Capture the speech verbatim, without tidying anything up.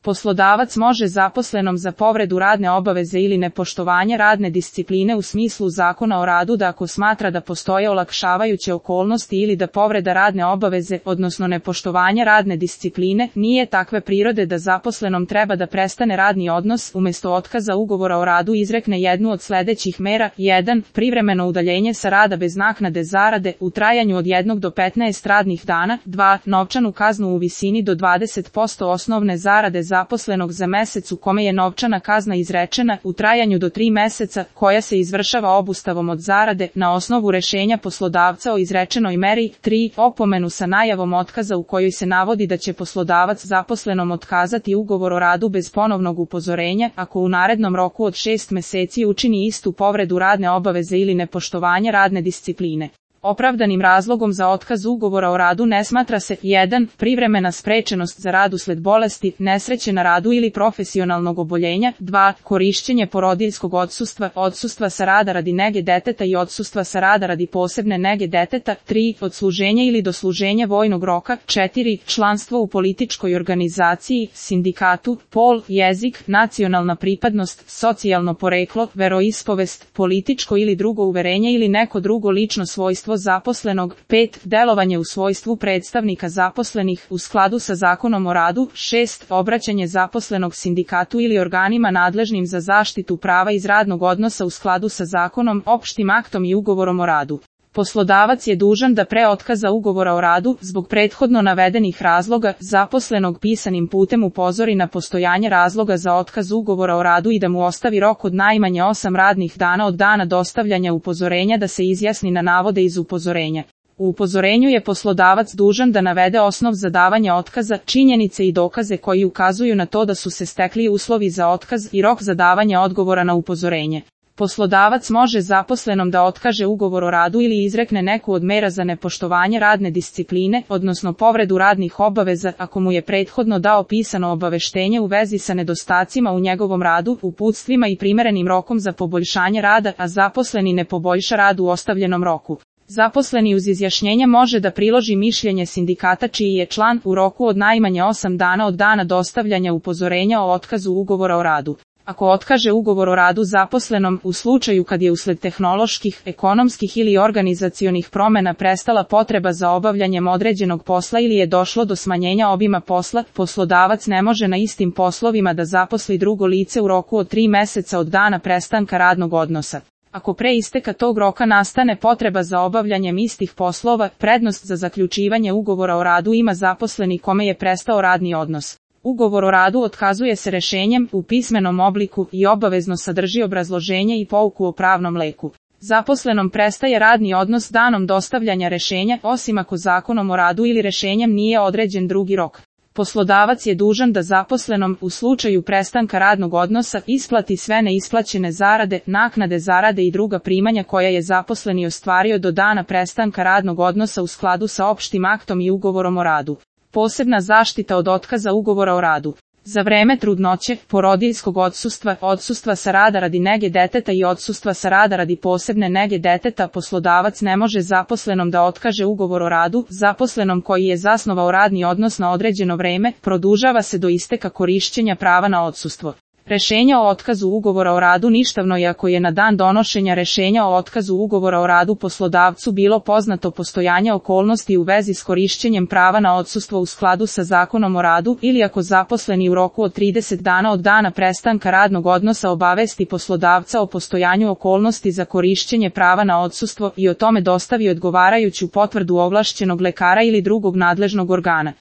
Poslodavac može zaposlenom za povredu radne obaveze ili nepoštovanje radne discipline u smislu Zakona o radu da ako smatra da postoje olakšavajuće okolnosti ili da povreda radne obaveze, odnosno nepoštovanje radne discipline, nije takve prirode da zaposlenom treba da prestane radni odnos, umjesto otkaza ugovora o radu izrekne jednu od sledećih mera: jedan. Privremeno udaljenje sa rada bez naknade zarade u trajanju od jednog do petnaest radnih dana. dva. Novčanu kaznu u visini do dvadeset posto osnovne zarade zaposlenog za mesec u kome je novčana kazna izrečena, u trajanju do tri meseca, koja se izvršava obustavom od zarade na osnovu rešenja poslodavca o izrečenoj meri. tri. Opomenu sa najavom otkaza u kojoj se navodi da će poslodavac zaposlenom otkazati ugovor o radu bez ponovnog upozorenja, ako u narednom roku od šest meseci učini istu povredu radne obaveze ili nepoštovanje radne discipline. Opravdanim razlogom za otkaz ugovora o radu ne smatra se: jedan. Privremena sprečenost za rad usled bolesti, nesreće na radu ili profesionalnog oboljenja. dva. Korišćenje porodiljskog odsustva, odsustva sa rada radi nege deteta i odsustva sa rada radi posebne nege deteta. tri. Odsluženje ili dosluženje vojnog roka. četiri. Članstvo u političkoj organizaciji, sindikatu, pol, jezik, nacionalna pripadnost, socijalno poreklo, veroispovest, političko ili drugo uverenje ili neko drugo lično svojstvo zaposlenog. pet. Delovanje u svojstvu predstavnika zaposlenih u skladu sa Zakonom o radu. šest. Obraćanje zaposlenog sindikatu ili organima nadležnim za zaštitu prava iz radnog odnosa u skladu sa zakonom, opštim aktom i ugovorom o radu. Poslodavac je dužan da pre otkaza ugovora o radu, zbog prethodno navedenih razloga, zaposlenog pisanim putem upozori na postojanje razloga za otkaz ugovora o radu i da mu ostavi rok od najmanje osam radnih dana od dana dostavljanja upozorenja da se izjasni na navode iz upozorenja. U upozorenju je poslodavac dužan da navede osnov za davanje otkaza, činjenice i dokaze koji ukazuju na to da su se stekli uslovi za otkaz i rok za davanje odgovora na upozorenje. Poslodavac može zaposlenom da otkaže ugovor o radu ili izrekne neku od mera za nepoštovanje radne discipline, odnosno povredu radnih obaveza, ako mu je prethodno dao pisano obaveštenje u vezi sa nedostacima u njegovom radu, uputstvima i primerenim rokom za poboljšanje rada, a zaposleni ne poboljša rad u ostavljenom roku. Zaposleni uz izjašnjenje može da priloži mišljenje sindikata čiji je član u roku od najmanje osam dana od dana dostavljanja upozorenja o otkazu ugovora o radu. Ako otkaže ugovor o radu zaposlenom, u slučaju kad je usled tehnoloških, ekonomskih ili organizacionih promena prestala potreba za obavljanjem određenog posla ili je došlo do smanjenja obima posla, poslodavac ne može na istim poslovima da zaposli drugo lice u roku od tri meseca od dana prestanka radnog odnosa. Ako pre isteka tog roka nastane potreba za obavljanjem istih poslova, prednost za zaključivanje ugovora o radu ima zaposleni kome je prestao radni odnos. Ugovor o radu otkazuje se rešenjem u pismenom obliku i obavezno sadrži obrazloženje i pouku o pravnom leku. Zaposlenom prestaje radni odnos danom dostavljanja rešenja, osim ako Zakonom o radu ili rešenjem nije određen drugi rok. Poslodavac je dužan da zaposlenom, u slučaju prestanka radnog odnosa, isplati sve neisplaćene zarade, naknade zarade i druga primanja koja je zaposleni ostvario do dana prestanka radnog odnosa u skladu sa opštim aktom i ugovorom o radu. Posebna zaštita od otkaza ugovora o radu. Za vreme trudnoće, porodiljskog odsustva, odsustva sa rada radi nege deteta i odsustva sa rada radi posebne nege deteta poslodavac ne može zaposlenom da otkaže ugovor o radu. Zaposlenom koji je zasnovao radni odnos na određeno vreme, produžava se do isteka korišćenja prava na odsustvo. Rešenje o otkazu ugovora o radu ništavno je ako je na dan donošenja rešenja o otkazu ugovora o radu poslodavcu bilo poznato postojanje okolnosti u vezi s korišćenjem prava na odsustvo u skladu sa Zakonom o radu ili ako zaposleni u roku od trideset dana od dana prestanka radnog odnosa obavesti poslodavca o postojanju okolnosti za korišćenje prava na odsustvo i o tome dostavi odgovarajuću potvrdu ovlašćenog lekara ili drugog nadležnog organa.